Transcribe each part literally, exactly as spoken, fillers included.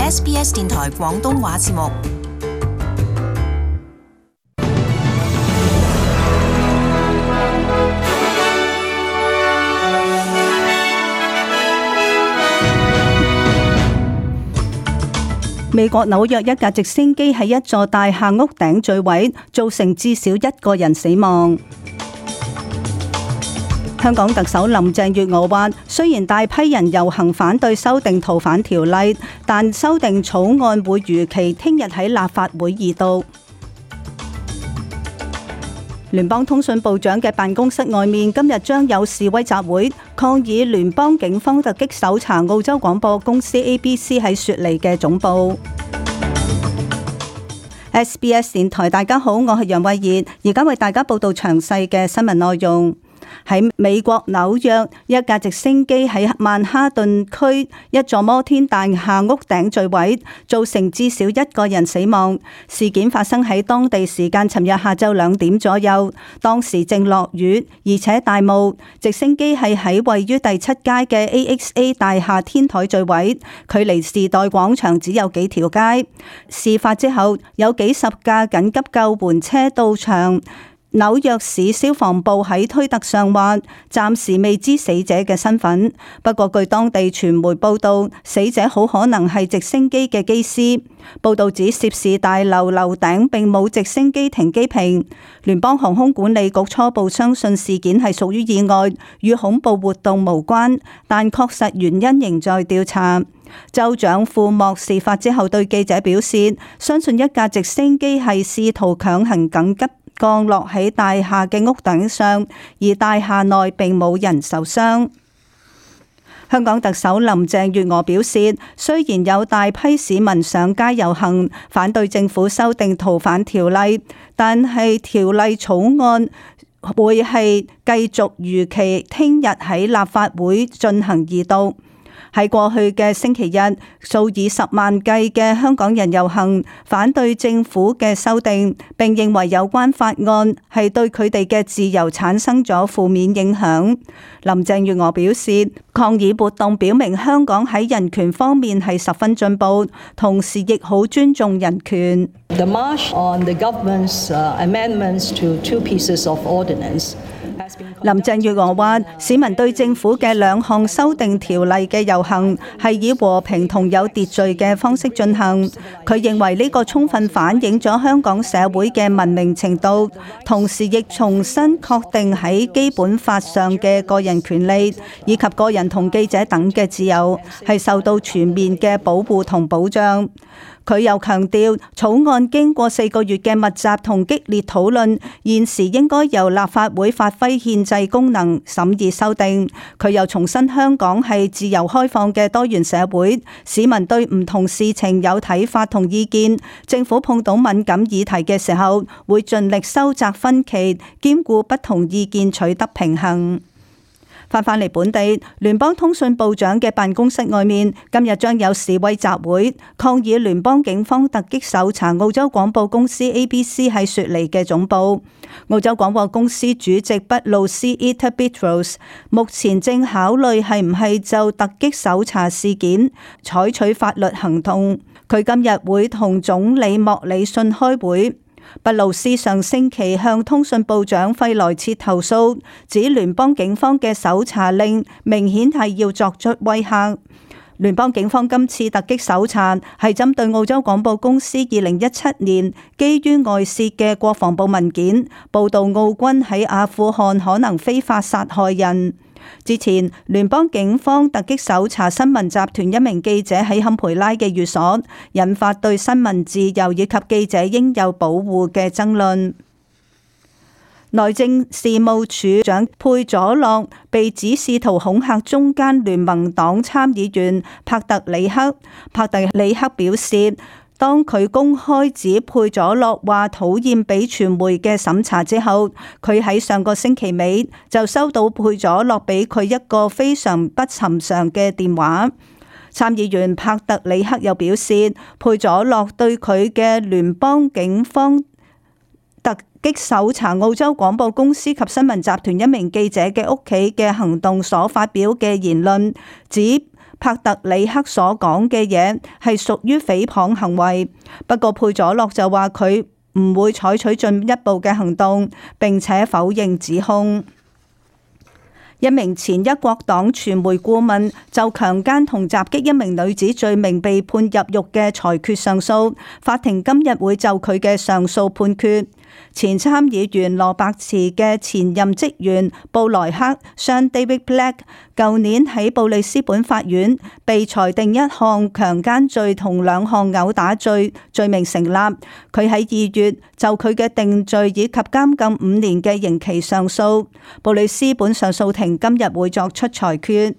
S B S 電台廣東話節目。美國紐約一架直升機喺一座大廈屋頂墜毀，造成至少一個人死亡。香港特首林鄭月娥話，雖然大批人遊行反對修訂逃犯條例，但修訂草案會如期聽日喺立法會二讀。聯邦通訊部長嘅辦公室外面今日將有示威集會，抗議聯邦警方突擊搜查澳洲廣播公司 A B C 喺雪梨嘅總部。S B S 電台，大家好，我係楊慧儀，而家為大家報道詳細嘅新聞內容。喺美國紐約，一架直升機喺曼哈頓區一座摩天大廈屋頂墜毀，造成至少一個人死亡。事件發生喺當地時間尋日下晝兩點左右，當時正落雨，而且大霧。直升機係喺位於第七街嘅 A X A 大廈天台墜毀，距離時代廣場只有幾條街。事發之後，有幾十架緊急救援車到場。紐約市消防部喺推特上話，暫時未知死者嘅身份。不過據當地傳媒報道，死者好可能係直升機嘅機師。報道指涉事大樓樓頂並冇直升機停機坪。聯邦航空管理局初步相信事件係屬於意外，與恐怖活動無關，但確實原因仍在調查。州長庫莫事發之後對記者表示，相信一架直升機係試圖強行緊急降落喺大廈嘅屋頂上，而大廈內並冇人受傷。香港特首林鄭月娥表示，雖然有大批市民上街遊行，反對政府修訂逃犯條例，但係條例草案會係繼續如期聽日喺立法會進行二讀。喺過去嘅星期日，數以十萬計嘅香港人遊行，反對政府嘅修訂，並認為有關法案係對佢哋嘅自由產生咗負面影響。林鄭月娥表示，抗議活動表明香港喺人權方面係十分進步，同時亦好尊重人權。The march on the government's amendments to two pieces of ordinance。林鄭月娥話，市民對政府嘅兩項修訂條例嘅遊行係以和平同有秩序嘅方式進行。佢認為呢個充分反映咗香港社會嘅文明程度，同時亦重新確定喺基本法上嘅個人權利以及個人同記者等嘅自由係受到全面嘅保護同保障。佢又強調，草案經過四個月嘅密集同激烈討論，現時應該由立法會發揮憲制功能審議修訂。佢又重申香港係自由開放嘅多元社會，市民對唔同事情有睇法同意見，政府碰到敏感議題嘅時候，會盡力收窄分歧，兼顧不同意見，取得平衡。翻返嚟本地，聯邦通訊部長嘅辦公室外面今日將有示威集會，抗議聯邦警方突擊搜查澳洲廣播公司 A B C 喺雪梨嘅總部。澳洲廣播公司主席畢路斯 Etta Buttrose 目前正考慮係唔係就突擊搜查事件採取法律行動。佢今日會同總理莫里遜開會。畢路斯上星期向通訊部長費萊切投訴，指聯邦警方嘅搜查令明顯係要作出威嚇。聯邦警方今次突擊搜查係針對澳洲廣播公司二零一七年基於外泄嘅國防部文件，報道澳軍喺阿富汗可能非法殺害人。之前，聯邦警方突擊搜查新聞集團一名記者喺坎培拉嘅寓所，引發對新聞自由以及記者應有保護嘅爭論。內政事務處長佩佐洛被指試圖恐嚇中間聯盟黨參議員帕特里克。帕特里克表示，當佢公開指佩佐洛話討厭俾傳媒嘅審查之後，佢喺上個星期尾就收到佩佐洛俾佢一個非常不尋常嘅電話。參議員帕特里克又表示，佩佐洛對佢嘅聯邦警方突擊搜查澳洲廣播公司及新聞集團一名記者嘅屋企嘅行動所發表嘅言論，指帕特里克所講嘅嘢係屬於誹謗行為。不過佩佐洛就話佢唔會採取進一步嘅行動，並且否認指控。一名前一國黨傳媒顧問就強姦同襲擊一名女子罪名被判入獄嘅裁決上訴，法庭今日會就佢嘅上訴判決。前參議員羅伯茨嘅前任職員布萊克 （Sean David Black） 舊年喺布里斯本法院被裁定一項強姦罪同兩項毆打罪罪名成立。佢喺二月就佢嘅定罪以及監禁五年嘅刑期上訴。布里斯本上訴庭今日會作出裁決。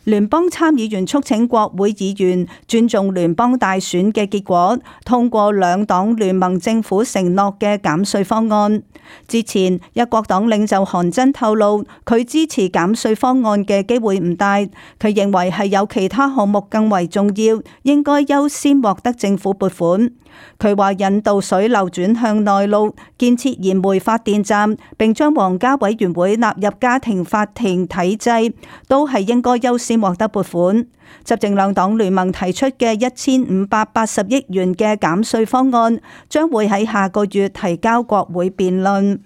聯邦參議員促請國會議員尊重聯邦大選嘅結果，通過兩黨聯盟政府承諾嘅減稅方案。之前，一國黨領袖韓真透露，佢支持減稅方案嘅機會唔大。佢認為係有其他項目更為重要，應該優先獲得政府撥款。佢話引導水流轉向內陸，建設燃煤發電站，並將皇家委員會納入家庭法庭體制，都係應該優先獲得撥款。執政兩黨聯盟提出嘅一千五百八十億元嘅減稅方案，將會喺下個月提交國會辯論。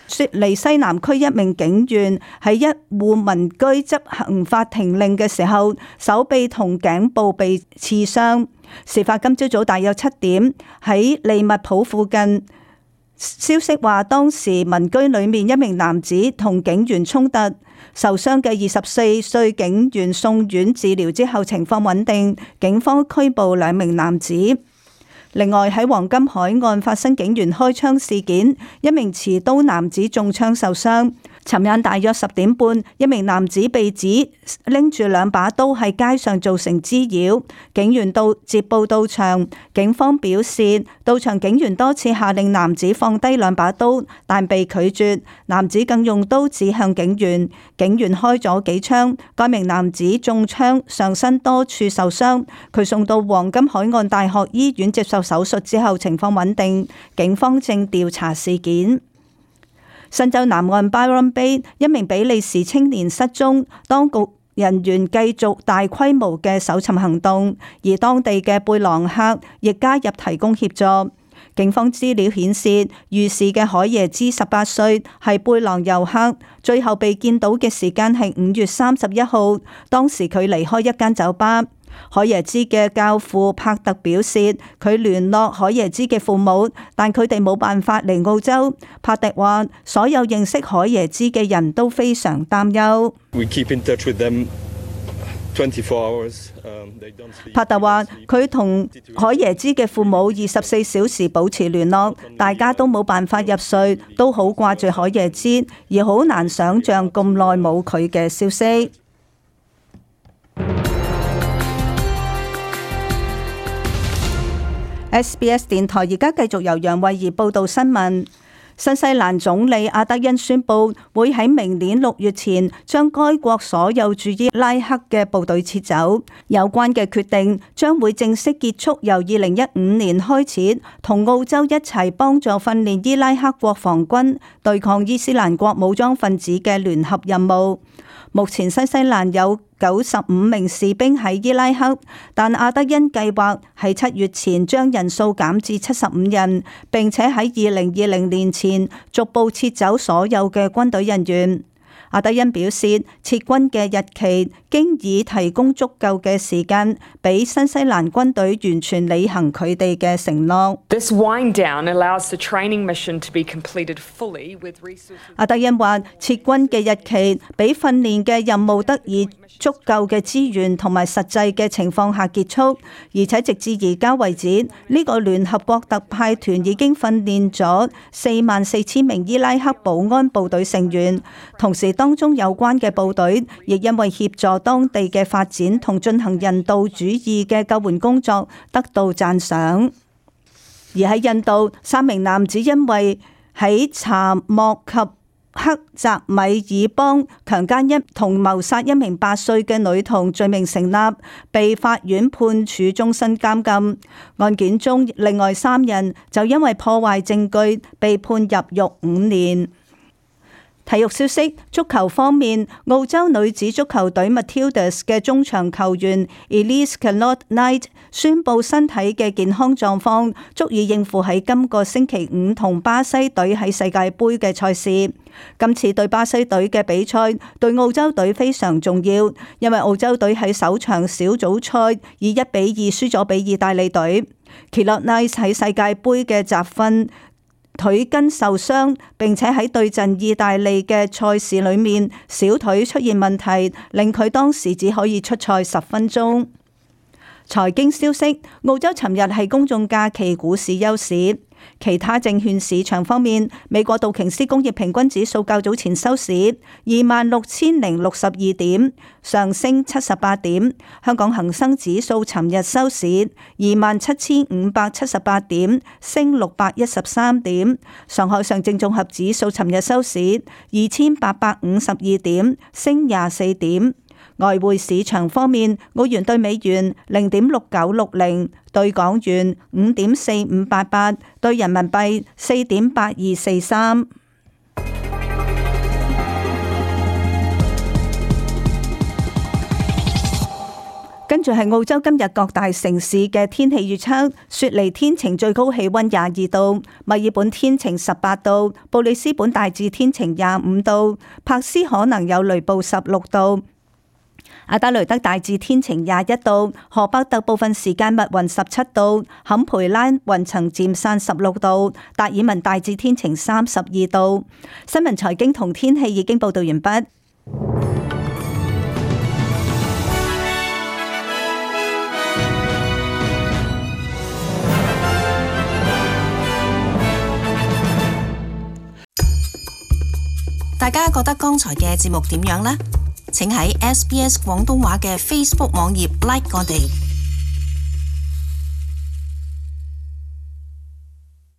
雪梨西南區一名警員喺一戶民居執行法庭令嘅時候，手臂同頸部被刺傷。事發今朝早大約七點，喺利物浦附近。消息話，當時民居裏面一名男子同警員衝突，受傷嘅二十四歲警員送院治療之後情況穩定，警方拘捕兩名男子。另外喺黃金海岸發生警員開槍事件，一名持刀男子中槍受傷。尋晚大約十點半，一名男子被指拎住兩把刀喺街上造成滋擾，警員到接報到場。警方表示，到場警員多次下令男子放低兩把刀，但被拒絕。男子更用刀指向警員，警員開咗幾槍，該名男子中槍，上身多處受傷。佢送到黃金海岸大學醫院接受手術之後，情況穩定。警方正調查事件。新州南岸 Byron Bay 一名比利時青年失蹤，當局人員繼續大規模嘅搜尋行動，而當地嘅貝朗克亦加入提供協助。警方資料顯示，遇事嘅海耶茲十八歲，係貝朗遊客，最後被見到嘅時間係五月三十一號，當時佢離開一間酒吧。海耶茲嘅教父帕特表示，佢聯絡海耶茲嘅父母，但佢哋冇辦法嚟澳洲。帕特話，所有認識海耶茲嘅人都非常擔憂。We keep in touch with them twenty-four hours. 帕特話，佢同海耶茲嘅父母二十四小時保持聯絡，大家都冇辦法入睡，都好掛住海耶茲，而好難想像咁耐冇佢嘅消息。S B S 電台而家繼續由楊慧儀報道新聞。新西蘭總理阿德恩宣布會喺明年六月前將該國所有駐伊拉克嘅部隊撤走。有關嘅決定將會正式結束由二零一五年開始同澳洲一齊幫助訓練伊拉克國防軍對抗伊斯蘭國武裝分子嘅聯合任務。目前新西蘭有九十五名士兵喺伊拉克，但阿德恩計劃喺七月前將人數減至七十五人，並且喺二零二零年前逐步撤走所有嘅軍隊人員。阿德恩表示，撤軍嘅日期經已提供足夠嘅時間，俾新西蘭軍隊完全履行佢哋嘅承諾。This wind down allows the training mission to be completed fully with resources. 阿德恩話，撤軍嘅日期俾訓練嘅任務得以足夠嘅資源同埋實際嘅情況下結束，而且直至而家為止，呢個聯合國特派團已經訓練咗四萬四千名伊拉克保安部隊成員，同時當中有關嘅部隊亦因為協助當地嘅發展同進行人道主義嘅救援工作得到讚賞。而喺印度，三名男子因為喺查莫及克澤米爾邦強姦一同謀殺一名八歲嘅女童罪名成立，被法院判處終身監禁。案件中，另外三人就因為破壞證據被判入獄五年。體育消息，足球方面，澳洲女子足球隊 Matildas 嘅中場球員 Elise Kellott-Knight 宣布身體嘅健康狀況足以應付喺今個星期五同巴西隊喺世界盃嘅賽事。今次對巴西隊嘅比賽對澳洲隊非常重要，因為澳洲隊喺首場小組賽以一比二輸咗俾意大利隊。Kellott-Knight 喺世界盃嘅集訓腿筋受傷，並且喺對陣意大利嘅賽事裏面小腿出現問題，令佢當時只可以出賽十分鐘。財經消息，澳洲尋日係公眾假期，股市休市。其他證券市場方面，美國道瓊斯工業平均指數較早前收市二萬六千零六十二點，上升七十八點。香港恒生指數尋日收市二萬七千五百七十八點，升六百一十三點。上海上證綜合指數尋日收市二千八百五十二點，升廿四點。外匯市場方面，澳元兌美元零點六九六零，兌港元五點四五八八，兌人民幣四點八二四三。跟住係澳洲今日各大城市嘅天氣預測：雪梨天晴，最高氣溫廿二度；墨爾本天晴十八度；布里斯本大致天晴廿五度；柏斯可能有雷暴十六度。阿德雷德大致天晴廿一度，荷伯特部分時間密雲十七度，坎培拉雲層漸散十六度，達爾文大致天晴三十二度。新聞財經同天氣已經報道完畢。大家覺得剛才嘅節目點樣呢？請喺 S B S 廣東話嘅 Facebook 網頁 like 我哋。